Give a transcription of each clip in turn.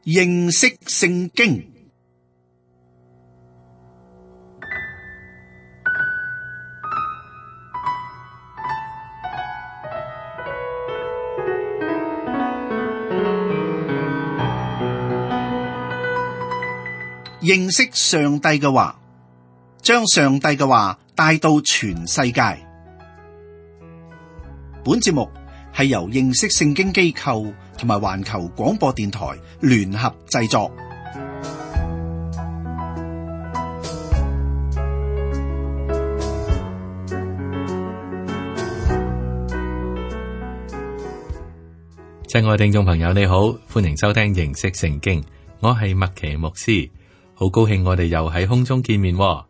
認識聖經。認識上帝嘅話，將上帝嘅話帶到全世界。本節目係由認識聖經機構同埋環球廣播電台聯合製作。親愛聽眾朋友，你好，歡迎收聽認識聖經，我係麥奇牧師。好高興我哋又喺空中見面喎。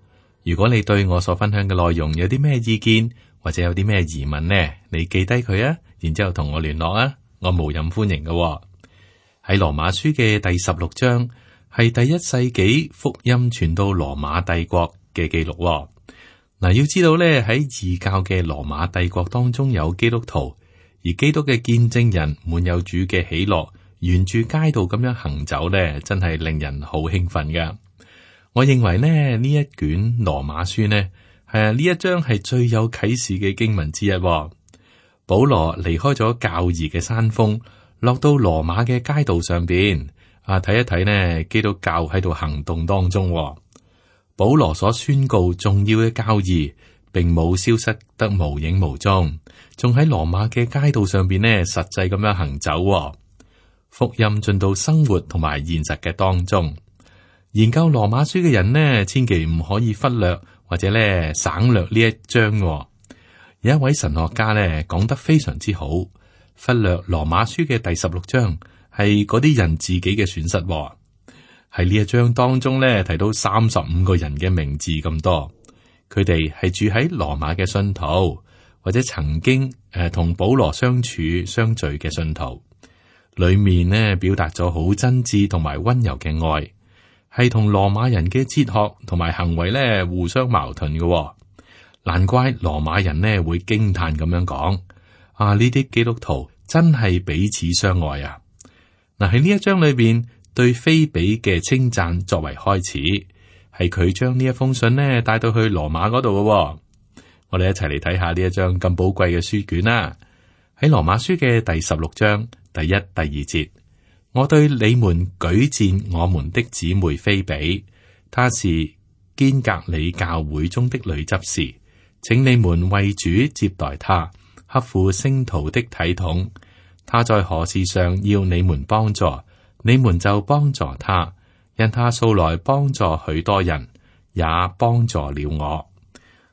如果你對我所分享嘅內容有啲咩意見，或者有啲咩疑問呢，你記低佢啊，然之後同我聯絡啊，我無任歡迎嘅喎。喺羅馬書嘅第16章係第1世紀福音傳到羅馬帝國嘅記錄喎。嗱，要知道咧，喺異教嘅羅馬帝國當中有基督徒，而基督嘅見證人滿有主嘅喜樂，沿住街道咁樣行走咧，真係令人好興奮噶。我認為呢一卷羅馬書呢，呢一章係最有啟示嘅經文之一喎。保羅離開咗教義嘅山峰，落到羅馬嘅街道上邊，睇一睇呢基督教喺度行動當中喎。保羅所宣告重要嘅教義，並冇消失得無影無蹤，仲喺羅馬嘅街道上邊呢實際咁樣行走喎。福音進到生活同埋現實嘅當中。研究羅馬書嘅人呢，千祈唔可以忽略或者咧省略呢一章喎。有一位神學家咧講得非常之好，忽略羅馬書嘅第16章係嗰啲人自己嘅損失喎。喺呢一章當中咧提到35個人嘅名字咁多，佢哋係住喺羅馬嘅信徒，或者曾經同保羅相處相聚嘅信徒，裏面呢表達咗好真摯同埋溫柔嘅愛。係同羅馬人嘅哲學同埋行為咧互相矛盾嘅喎，難怪羅馬人呢會驚嘆咁樣講：呢啲基督徒真係彼此相愛啊！嗱，喺呢一章裏邊對腓比嘅稱讚作為開始，係佢將呢一封信呢帶到去羅馬嗰度嘅喎。我哋一齊嚟睇下呢一章咁寶貴嘅書卷啦。喺羅馬書嘅第16章第1、第2節。我對你們舉薦我們的姊妹腓比，她是堅革哩教會中的女執事，請你們為主接待她，合乎聖徒的體統。她在何事上要你們幫助，你們就幫助她，因她素來幫助許多人，也幫助了我。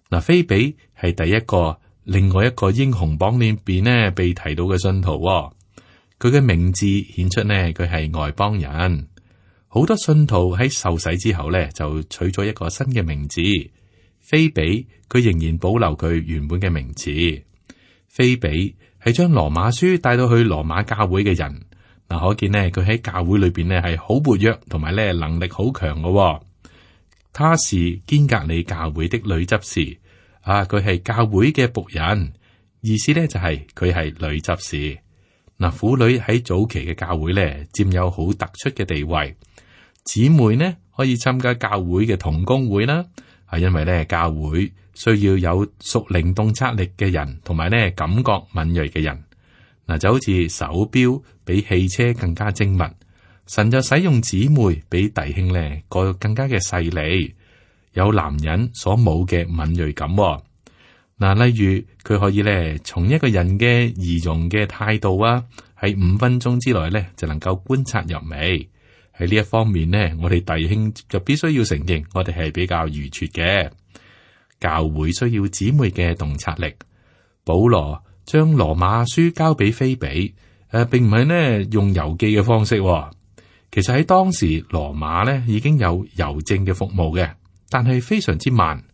嗱，腓比係第一個，另外一個英雄榜裏邊呢被提到嘅信徒。佢嘅名字顯出呢，佢係外邦人。好多信徒喺受洗之後呢，就取咗一個新嘅名字。腓比佢仍然保留佢原本嘅名字。腓比係將羅馬書帶到去羅馬教會嘅人。嗱，可見呢，佢喺教會裏邊呢係好活躍，同埋呢能力好強嘅。他是堅革哩教會的女執事。佢係教會嘅僕人，意思呢就係佢係女執事。嗱，婦女喺早期嘅教會咧，佔有好突出嘅地位。姊妹呢可以參加教會嘅同工會啦，係因為咧教會需要有屬靈洞察力嘅人，同埋咧感覺敏銳嘅人。嗱，就好似手錶比汽車更加精密，神就使用姊妹比弟兄咧個更加嘅細膩，有男人所冇嘅敏銳感。嗱，例如佢可以咧，從一個人嘅儀容嘅態度喺5分鐘之內咧，就能夠觀察入微。喺呢一方面呢，我哋弟兄就必須要承認，我哋係比較愚拙嘅。教會需要姊妹嘅洞察力。保羅將羅馬書交俾腓比，並唔係呢用郵寄嘅方式。其實喺當時羅馬呢已經有郵政嘅服務嘅，但係非常之慢。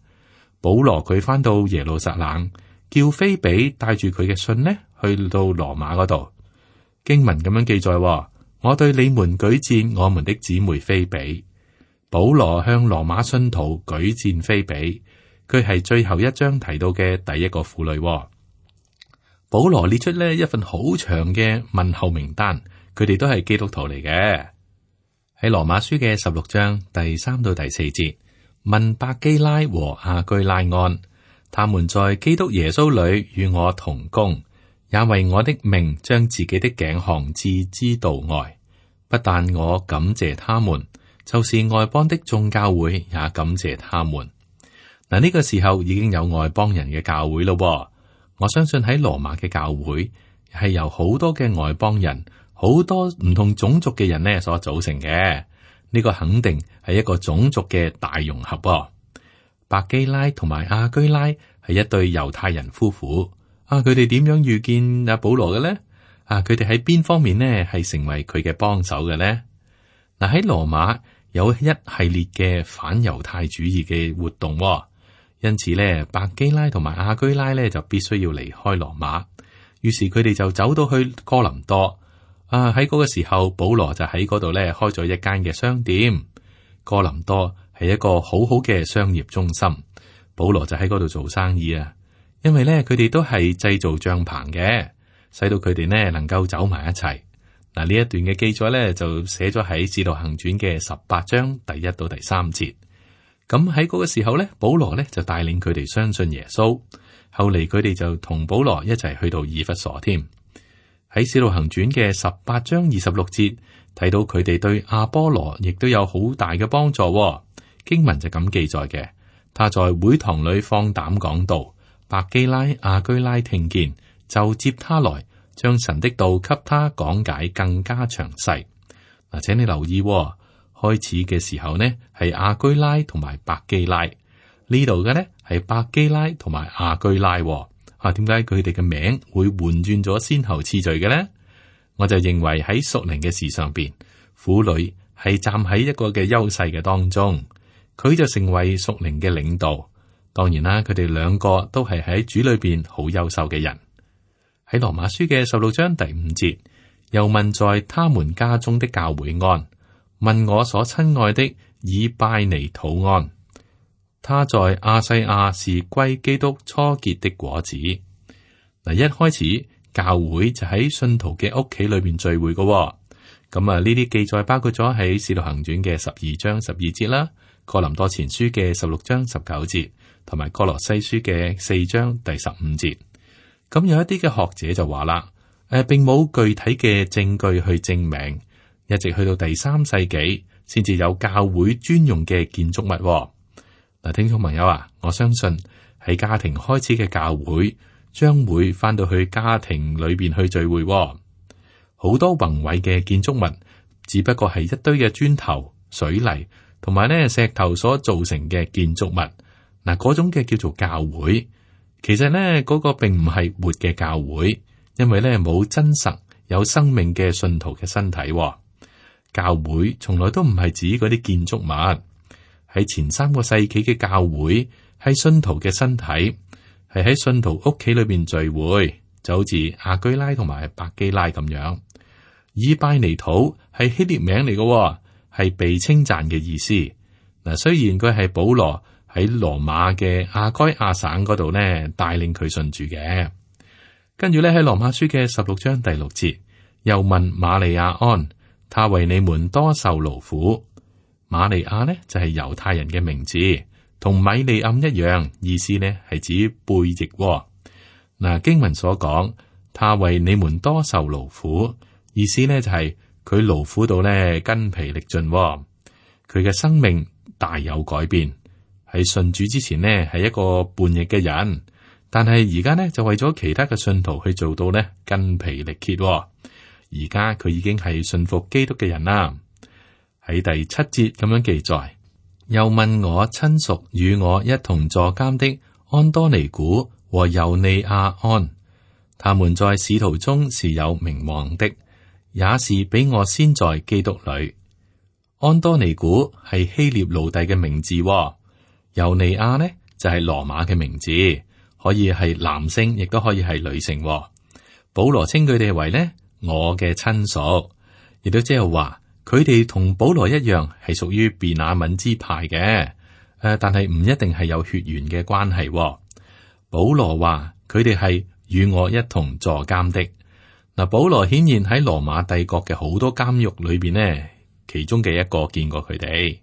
保羅佢翻到耶路撒冷，叫腓比帶住佢嘅信呢，去到羅馬嗰度。經文咁樣記載：我對你們舉薦我們的姊妹腓比。保羅向羅馬信徒舉薦腓比，佢係最後一章提到嘅第一個婦女。保羅列出呢一份好長嘅問候名單，佢哋都係基督徒嚟嘅。喺羅馬書嘅16章第3到第4節，問百基拉和亞居拉安，他們在基督耶穌裏與我同工，也為我的命將自己的頸項置之度外。不但我感謝他們，就是外邦的眾教會也感謝他們。嗱，呢個時候已經有外邦人嘅教會咯。我相信喺羅馬嘅教會係由好多嘅外邦人，好多唔同種族嘅人呢所組成嘅。呢個肯定係一個種族嘅大融合。百基拉同埋亞居拉係一對猶太人夫婦。佢哋點樣遇見阿保羅嘅呢？佢哋喺邊方面呢係成為佢嘅幫手嘅呢？嗱，喺羅馬有一系列嘅反猶太主義嘅活動，因此咧，百基拉同埋亞居拉咧就必須要離開羅馬。於是佢哋就走到去哥林多。喺嗰個時候，保羅就喺嗰度咧開咗一間嘅商店。哥林多係一個好好嘅商業中心，保羅就喺嗰度做生意啊。因為咧，佢哋都係製造帳篷嘅，使到佢哋呢能夠走埋一齊。嗱，呢一段嘅記載咧就寫咗喺《使徒行傳》嘅18章第1到第3節。咁喺嗰個時候咧，保羅咧就帶領佢哋相信耶穌。後嚟佢哋就同保羅一齊去到以弗所添。喺《使徒行傳》嘅18章26節睇到佢哋對阿波羅亦都有好大嘅幫助。經文就咁記載嘅，他在會堂裏放膽講道。百基拉、亞居拉聽見，就接他來，將神的道給他講解更加詳細。嗱，請你留意，開始嘅時候呢係亞居拉同埋百基拉，呢度嘅呢係百基拉同埋亞居拉。點解佢哋嘅名會換轉咗先後次序嘅呢？我就認為喺屬靈嘅事上邊，婦女係站喺一個嘅優勢嘅當中，佢就成為屬靈嘅領導。當然啦，佢哋兩個都係喺主裏邊好優秀嘅人。喺羅馬書嘅16章第5節，又問在他們家中的教會安，問我所親愛的以拜尼土安。他在亞細亞是歸基督初結的果子。嗱，一開始教會就喺信徒嘅屋企裏邊聚會嘅。咁呢啲記載包括咗喺使徒行傳嘅12章12節啦，哥林多前書嘅16章19節。同埋哥羅西書嘅4章第15節，咁有一啲嘅學者就話啦，並冇具體嘅證據去證明，一直去到第3世紀先至有教會專用嘅建築物。嗱，聽眾朋友啊，我相信喺家庭開始嘅教會，將會翻到去家庭裏邊去聚會。好多宏偉嘅建築物，只不過係一堆嘅磚頭、水泥同埋呢石頭所造成嘅建築物。嗱，嗰種嘅叫做教會，其實呢嗰個並唔係活嘅教會，因為呢冇真實有生命嘅信徒嘅身體。教會從來都唔係指嗰啲建築物。喺前3個世紀嘅教會係信徒嘅身體，係喺信徒屋企裏邊聚會，就好似亞居拉同埋百基拉咁樣。以拜尼土係希臘名嚟嘅，係被稱讚嘅意思。嗱，雖然佢係保羅喺羅馬嘅亞該亞省嗰度呢帶領佢信主嘅。跟住咧喺羅馬書嘅16章第6節，又問瑪利亞安，他為你們多受勞苦。瑪利亞呢就係猶太人嘅名字，同米利暗一樣，意思呢係指背逆。嗱，經文所講，他為你們多受勞苦，意思呢就係佢勞苦到呢筋疲力盡，佢嘅生命大有改變。喺信主之前呢係一個叛逆嘅人，但係而家呢就為咗其他嘅信徒去做到呢筋疲力竭。而家佢已經係信服基督嘅人啦。喺第7節咁樣記載，又問我親屬與我一同坐監的安多尼古和猶尼亞安，他們在使徒中是有名望的，也是比我先在基督裏。安多尼古係希臘奴隸嘅名字。猶尼亞呢就係羅馬嘅名字，可以係男性，亦都可以係女性。保羅稱佢哋為呢我嘅親屬，亦都即係話佢哋同保羅一樣係屬於便雅憫支派嘅。但係唔一定係有血緣嘅關係。保羅話佢哋係與我一同坐監的。嗱，保羅顯然喺羅馬帝國嘅好多監獄裏邊呢，其中嘅一個見過佢哋。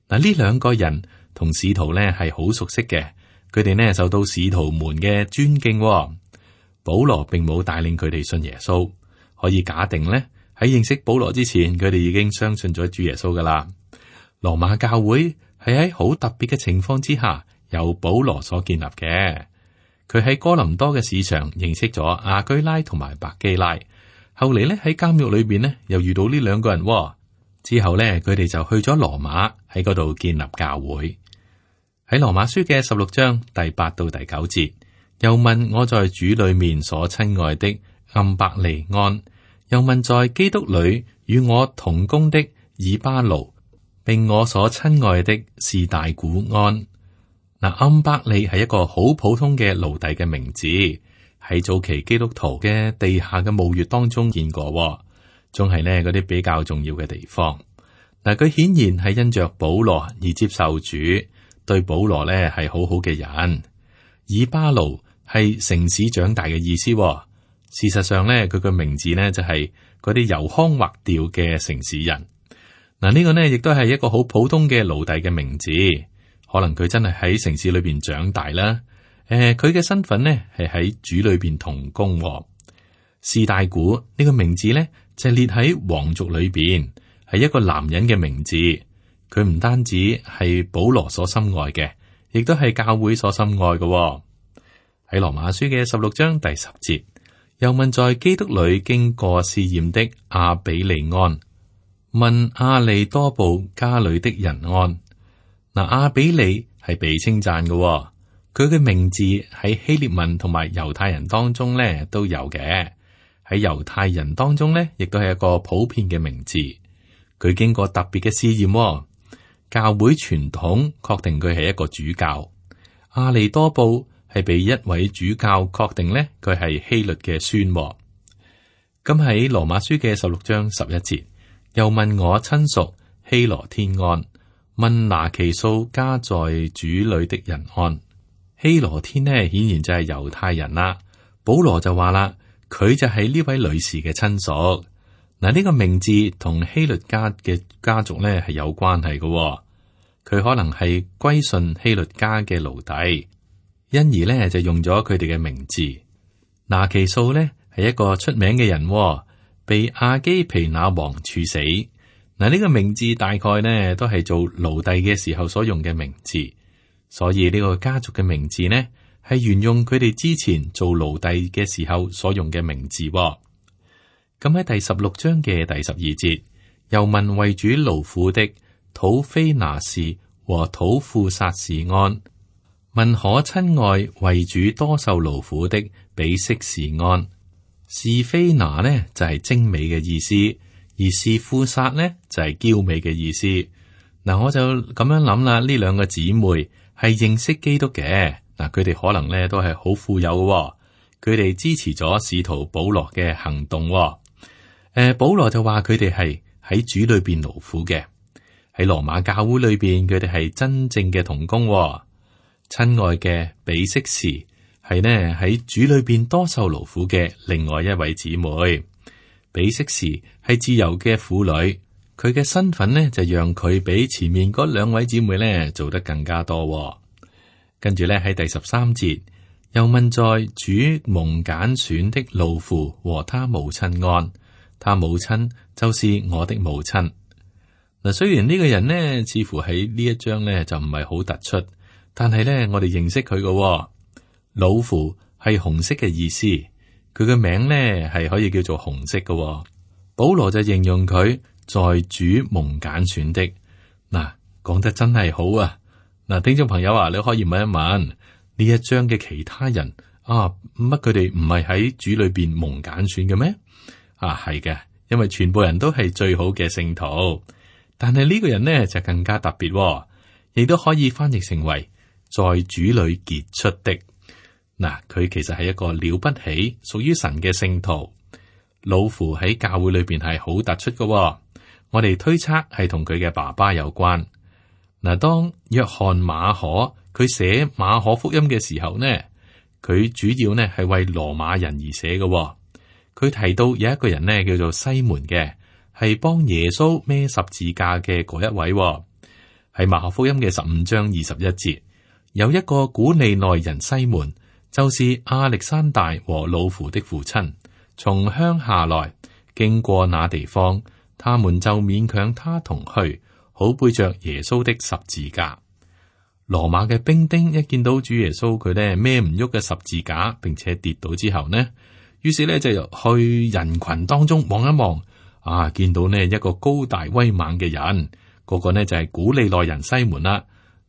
嗱，呢兩個人同使徒呢係好熟悉嘅，佢哋呢受到使徒們嘅尊敬。保羅並冇帶領佢哋信耶穌，可以假定呢，喺認識保羅之前，佢哋已經相信咗主耶穌噶啦。羅馬教會係喺好特別嘅情況之下，由保羅所建立嘅。佢喺哥林多嘅市場認識咗亞居拉同埋百基拉，後嚟呢，喺監獄裏邊呢，又遇到呢兩個人。之後呢，佢哋就去咗羅馬，喺嗰度建立教會。喺羅馬書嘅16章第8到第9節，又問我在主裏面所親愛的暗伯利安，又問在基督裏與我同工的以巴奴，並我所親愛的士大古安。嗱，暗伯利係一個好普通嘅奴隸嘅名字，喺早期基督徒嘅地下嘅墓穴當中見過，仲係呢嗰啲比較重要嘅地方。嗱，佢顯然係因着保羅而接受主，對保羅呢係好好嘅人。以巴奴係城市長大嘅意思。事實上呢，佢個名字呢就係嗰啲油腔滑調嘅城市人。嗱，呢個呢亦都係一個好普通嘅奴隸嘅名字。可能佢真係喺城市裏邊長大啦。佢嘅身份呢係喺主裏邊同工。士大古呢個名字呢就列喺皇族裏邊，係一個男人嘅名字。佢唔單止係保羅所深愛嘅，亦都係教會所深愛嘅。喺羅馬書嘅16章第10節，又問在基督裏經過試驗的亞比利安，問亞利多布家裏的人安。嗱，亞比利係被稱讚嘅，佢嘅名字喺希臘文同埋猶太人當中咧都有嘅。喺猶太人當中咧，亦都係一個普遍嘅名字。佢經過特別嘅試驗，教會傳統確定佢係一個主教。亞利多布係被一位主教確定咧，佢係希律嘅孫。咁喺羅馬書嘅16章11節，又問我親屬希羅天安，問拿其數家在主裏的人安。希羅天呢，顯然就係猶太人啦。保羅就話啦，佢就係呢位女士嘅親屬。嗱，呢個名字同希律家嘅家族呢係有關係嘅。佢可能係歸順希律家嘅奴隸，因而呢就用咗佢哋嘅名字。拿其數呢係一個出名嘅人，被亞基皮那王處死。嗱，呢個名字大概呢都係做奴隸嘅時候所用嘅名字，所以呢個家族嘅名字呢係沿用佢哋之前做奴隸嘅時候所用嘅名字。咁喺第16章嘅第12節，又問為主勞苦的土非拿士和土庫撒士安，問可親愛為主多受勞苦的比色士安。是非拿呢就係精美嘅意思。而是庫撒呢就係嬌美嘅意思。嗱，我就咁樣諗啦，呢兩個姊妹係認識基督嘅。嗱，佢哋可能咧都係好富有嘅。佢哋支持咗使徒保羅嘅行動。保羅就話佢哋係喺主裏邊勞苦嘅，喺羅馬教會裏邊佢哋係真正嘅同工。親愛嘅比色士係呢喺主裏邊多受勞苦嘅另外一位姊妹。比色士係自由嘅婦女，佢嘅身份呢就讓佢比前面嗰兩位姊妹呢做得更加多。跟住呢喺第13節，又問在主蒙揀選的路父和他母親安，他母親就是我的母親。嗱，雖然呢個人呢似乎喺呢一章呢就唔係好突出，但係呢我哋認識佢嘅路父係紅色嘅意思。佢嘅名呢係可以叫做紅色嘅。保羅就形容佢在主蒙揀選的。嗱，講得真係好啊！嗱，聽眾朋友啊，你可以問一問呢一章嘅其他人啊，乜佢哋唔係喺主裏邊蒙揀選嘅咩？啊，係嘅，因為全部人都係最好嘅聖徒，但係呢個人呢就更加特別，亦都可以翻譯成為在主裏結出的。嗱，佢其實係一個了不起，屬於神嘅聖徒。老父喺教會裏邊係好突出嘅，我哋推測係同佢嘅爸爸有關。嗱，當約翰馬可佢寫馬可福音嘅時候呢，佢主要呢係為羅馬人而寫嘅。佢提到有一個人呢叫做西門嘅，係幫耶穌孭十字架嘅嗰一位。喺馬可福音嘅15章21節，有一個古利奈人西門，就是亞歷山大和魯孚的父親，從鄉下來，經過那地方，他們就勉強他同去，好背着耶穌的十字架。羅馬嘅兵丁一見到主耶穌佢咧孭唔喐嘅十字架，並且跌倒之後呢，於是咧就去人群當中望一望，見到呢一個高大威猛嘅人，嗰個呢就係古利奈人西門啦。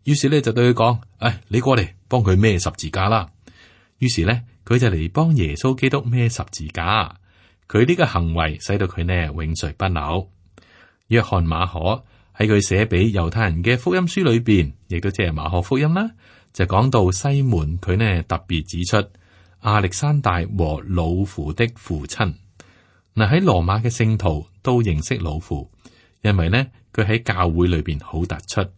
於是咧就對佢講：你過嚟幫佢孭十字架啦。於是咧佢就嚟幫耶穌基督孭十字架。佢呢個行為使到佢呢永垂不朽。約翰馬可喺佢寫俾猶太人嘅福音書裏邊，亦都即係馬可福音啦，就講到西門佢呢特別指出亞歷山大和魯孚的父親。嗱，喺羅馬嘅聖徒都認識魯孚，因為呢佢喺教會裏邊好突出。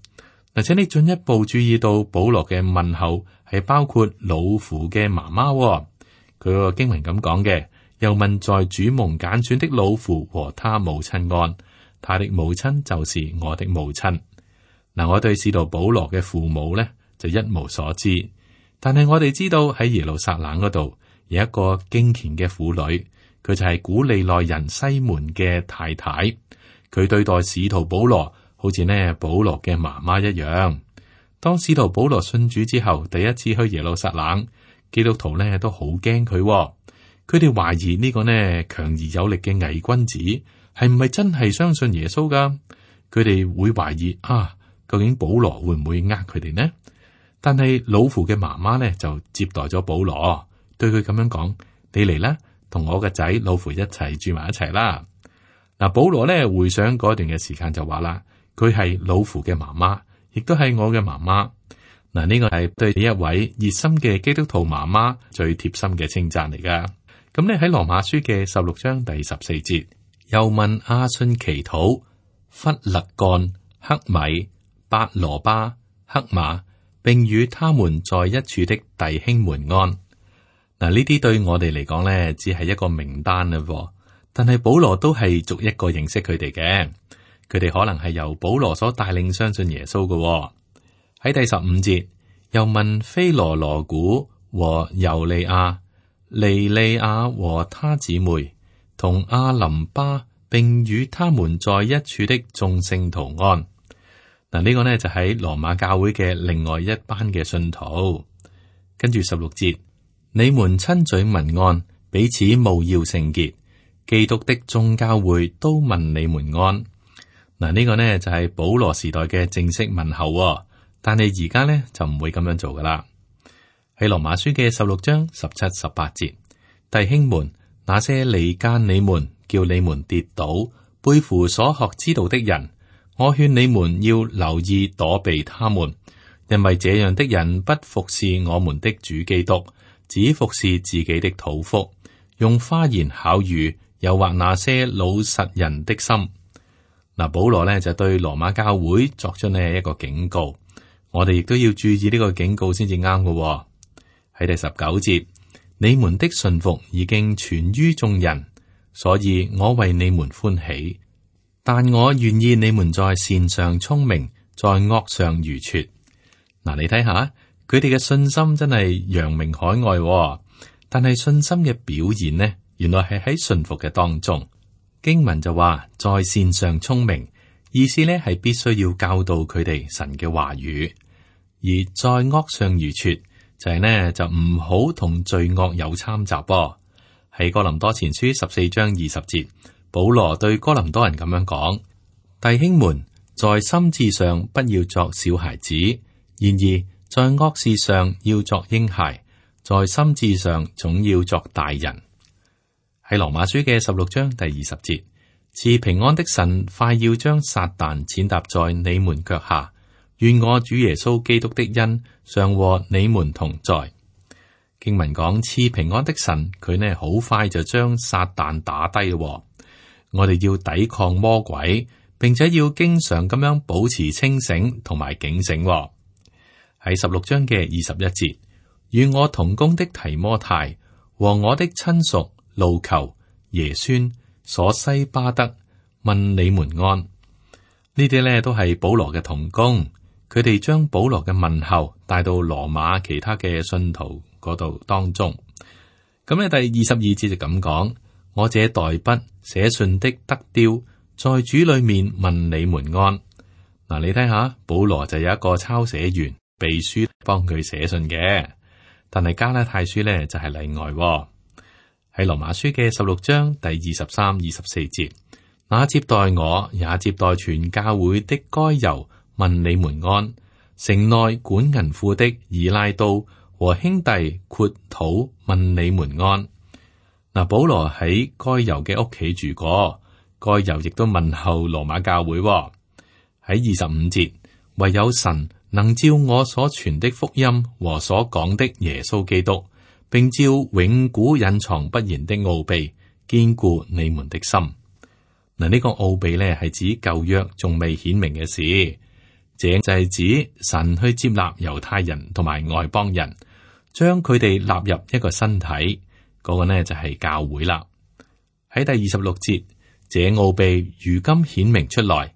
嗱，請你進一步注意到保羅嘅問候係包括魯孚嘅媽媽。佢個經文咁講嘅，又問在主蒙揀選的魯孚和他母親安。他的母親就是我的母親。嗱，我對使徒保羅嘅父母呢就一無所知，但係我哋知道喺耶路撒冷嗰度有一個敬虔嘅婦女，佢就係古利奈人西門嘅太太。佢對待使徒保羅好似呢保羅嘅媽媽一樣。當使徒保羅信主之後，第一次去耶路撒冷，基督徒呢都好驚佢。佢哋懷疑呢個呢強而有力嘅偽君子係唔係真係相信耶穌噶？佢哋會懷疑究竟保羅會唔會呃佢哋呢？但係魯孚嘅媽媽呢就接待咗保羅，對佢咁樣講：你嚟啦，同我個仔魯孚一齊住埋一齊啦。嗱，保羅呢回想嗰段嘅時間就話啦，佢係魯孚嘅媽媽，亦都係我嘅媽媽。嗱，呢個係對呢一位熱心嘅基督徒媽媽最貼心嘅稱讚嚟噶。咁呢喺羅馬書嘅16章第14節。又問阿信祈禱、弗勒干、克米、伯羅巴、克馬，並與他們在一處的弟兄們安。嗱，呢啲對我哋嚟講呢，只係一個名單啦。但係保羅都係逐一個認識佢哋嘅。佢哋可能係由保羅所帶領相信耶穌嘅。喺第15節，又問菲羅羅古和尤利亞、尼利亞和他姊妹，同阿林巴，並與他們在一處的眾聖徒安。嗱，呢個呢就喺羅馬教會嘅另外一班嘅信徒。跟住16節，你們親嘴問安，彼此務要聖潔。基督的眾教會都問你們安。嗱，呢個呢就係保羅時代嘅正式問候，但係而家呢就唔會咁樣做噶啦。喺羅馬書嘅16章17、18節，弟兄們，那些離間你們，叫你們跌倒，背負所學之道的人，我勸你們要留意躲避他們，因為這樣的人不服侍我們的主基督，只服侍自己的肚腹，用花言巧語誘惑那些老實人的心。嗱，保羅呢就對羅馬教會作出呢一個警告，我哋亦都要注意呢個警告先至啱嘅。喺第19節，你們的順服已經傳於眾人，所以我為你們歡喜，但我願意你們在善上聰明，在惡上愚拙。嗱，你睇下佢哋嘅信心真係揚名海外，但係信心嘅表現呢，原來係喺順服嘅當中。經文就話在善上聰明，意思呢係必須要教導佢哋神嘅話語，而在惡上愚拙就係呢就唔好同罪惡有參雜。喺哥林多前書14章20節，保羅對哥林多人咁樣講：弟兄們，在心志上不要作小孩子，然而在惡事上要作嬰孩，在心志上總要作大人。喺羅馬書嘅16章第20節，賜平安的神快要將撒旦踐踏在你們腳下，願我主耶穌基督的恩常和你們同在。經文講賜平安的神，佢呢好快就將撒旦打低咯。我哋要抵抗魔鬼，並且要經常咁樣保持清醒同埋警醒。喺16章嘅21節，與我同工的提摩太和我的親屬路求、耶孫、所西巴德、問你們安。呢啲咧都係保羅嘅同工，佢哋將保羅嘅問候帶到羅馬其他嘅信徒嗰度當中。咁咧第22節就咁講：我這代筆寫信的德丟，在主裏面問你們安。嗱，你睇下，保羅就有一個抄寫員秘書幫佢寫信嘅，但係加拉太書咧就係例外喎。喺羅馬書嘅16章第23、24節，那接待我也接待全教會的該猶問你們安。城內管銀庫的以拉都和兄弟括土問你們安。嗱，保羅喺該猶嘅屋企住過，該猶亦都問候羅馬教會喎。喺25節，唯有神能照我所傳的福音和所講的耶穌基督，並照永古隱藏不言的奧秘，堅固你們的心。嗱，呢個奧秘呢係指舊約仲未顯明嘅事，這就係指神去接納猶太人同埋外邦人，將佢哋納入一個身體，嗰個呢就係教會啦。喺第26節，這奧秘如今顯明出來。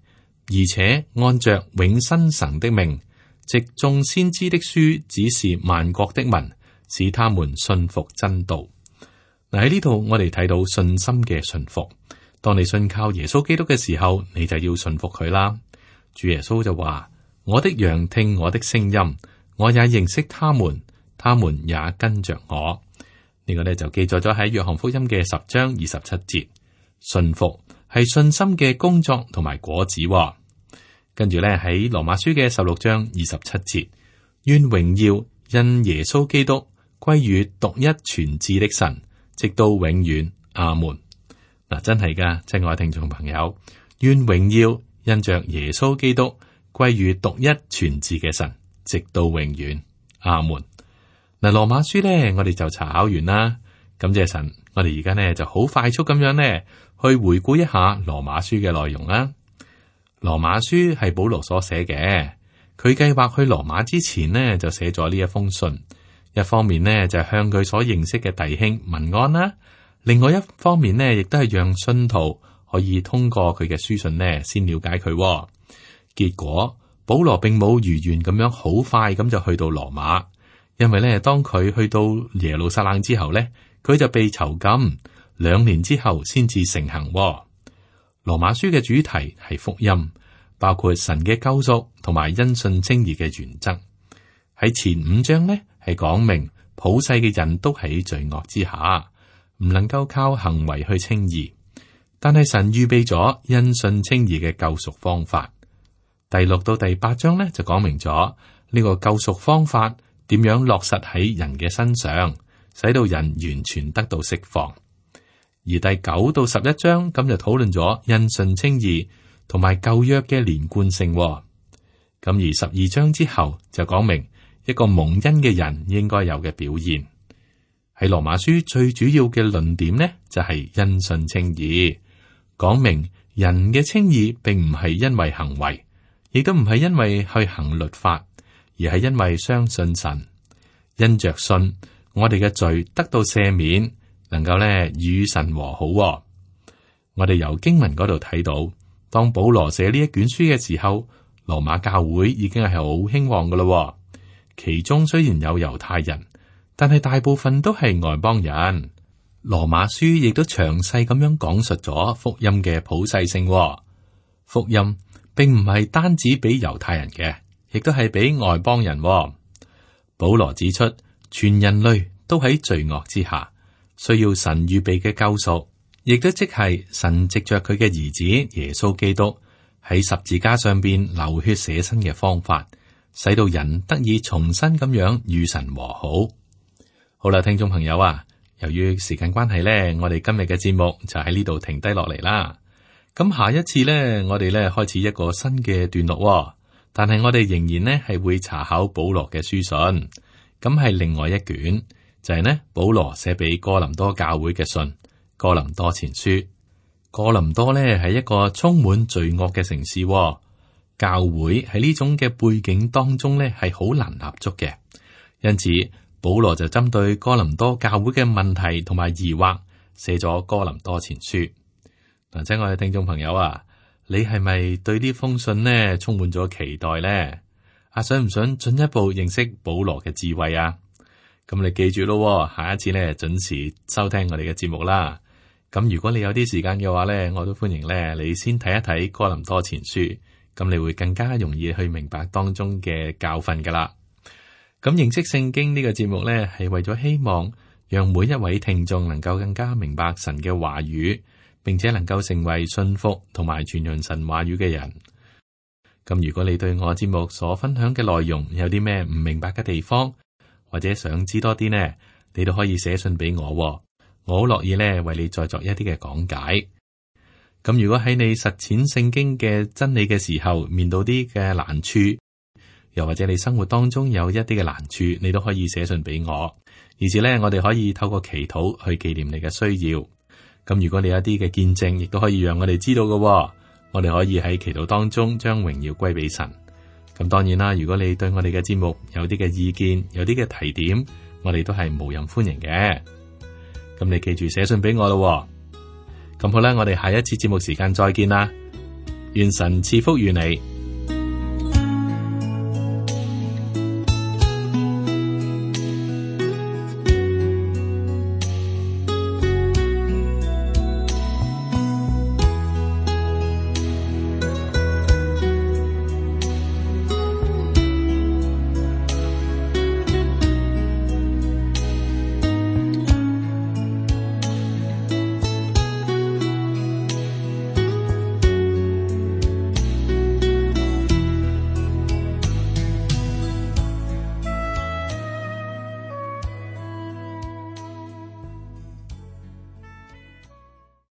而且按着永生神的命，藉眾先知的書指示萬國的民，使他們信服真道。嗱，喺呢度我哋睇到信心嘅信服。當你信靠耶穌基督嘅時候，你就要信服佢啦。主耶穌就話：我的羊聽我的聲音，我也認識他們，他們也跟着我。呢個呢就記載咗喺約翰福音嘅10章27節。信服係信心嘅工作同埋果子。跟住咧喺羅馬書嘅16章27節，願榮耀因耶穌基督歸於獨一全智的神，直到永遠。阿門。嗱，真係噶，親愛聽眾朋友，願榮耀因着耶穌基督歸於獨一全智嘅神，直到永遠。阿門。嗱，羅馬書咧，我哋就查考完啦。感謝神，我哋而家呢就好快速咁樣呢去回顧一下羅馬書嘅內容啦。羅馬書係保羅所寫嘅，佢計劃去羅馬之前呢，就寫咗呢一封信。一方面呢，就向佢所認識嘅弟兄問安啦，另外一方面呢，亦都係讓信徒可以通過佢嘅書信呢，先了解佢。結果保羅並冇如願咁樣好快咁就去到羅馬，因為呢，當佢去到耶路撒冷之後呢，佢就被囚禁，2年之後先至成行。羅馬書嘅主題係福音，包括神嘅救贖同埋因信稱義嘅原則。喺前5章呢，係講明普世嘅人都喺罪惡之下，唔能夠靠行為去稱義，但係神預備咗因信稱義嘅救贖方法。第6到第8章呢，就講明咗呢個救贖方法點樣落實喺人嘅身上，使到人完全得到釋放。而第9到11章咁就討論咗因信稱義同埋舊約嘅連貫性。咁而12章之後就講明一個蒙恩嘅人應該有嘅表現。喺羅馬書最主要嘅論點呢，就係因信稱義，講明人嘅稱義並唔係因為行為，亦都唔係因為去行律法，而係因為相信神，因着信我哋嘅罪得到赦免，能夠咧與神和好。我哋由經文嗰度睇到，當保羅寫呢一卷書嘅時候，羅馬教會已經係好興旺噶啦。其中雖然有猶太人，但係大部分都係外邦人。羅馬書亦都詳細咁樣講述咗福音嘅普世性。福音並唔係單止俾猶太人嘅，亦都係俾外邦人。保羅指出，全人類都喺罪惡之下，需要神預備嘅救贖，亦都即係神藉着佢嘅兒子耶穌基督喺十字架上邊流血捨身嘅方法，使到人得以重新咁樣與神和好。好啦，聽眾朋友啊，由於時間關係呢，我哋今日嘅節目就喺呢度停低落嚟啦。咁下一次呢，我哋呢開始一個新嘅段落，但係我哋仍然呢係會查考保羅嘅書信，咁係另外一卷。就係呢，保羅寫俾哥林多教會嘅信，哥林多前書。哥林多呢係一個充滿罪惡嘅城市，教會喺呢種嘅背景當中呢係好難立足嘅，因此保羅就針對哥林多教會嘅問題同埋疑惑，寫咗哥林多前書。嗱，親愛嘅聽眾朋友啊，你係咪對呢封信呢充滿咗期待呢？想唔想進一步認識保羅嘅智慧啊？咁你記住咯，下一次呢準時收聽我哋嘅節目啦。咁如果你有啲時間嘅話呢，我都歡迎呢你先睇一睇哥林多前書，咁你會更加容易去明白當中嘅教訓噶啦。咁認識聖經呢個節目呢，係為咗希望讓每一位聽眾能夠更加明白神嘅話語，並且能夠成為信服同埋傳揚神話語嘅人。咁如果你對我節目所分享嘅內容有啲咩唔明白嘅地方，或者想知多啲呢，你都可以寫信俾我，我好樂意呢為你再作一啲嘅講解。咁如果喺你實踐聖經嘅真理嘅時候，面對啲嘅難處，又或者你生活當中有一啲嘅難處，你都可以寫信俾我，而是呢，我哋可以透過祈禱去紀念你嘅需要。咁如果你有一啲嘅見證，亦都可以讓我哋知道嘅。我哋可以喺祈禱當中將榮耀歸俾神。咁當然啦，如果你對我哋嘅節目有啲嘅意見，有啲嘅提點，我哋都係無任歡迎嘅。咁你記住寫信俾我咯。咁好啦，我哋下一次節目時間再見啦。願神賜福於你。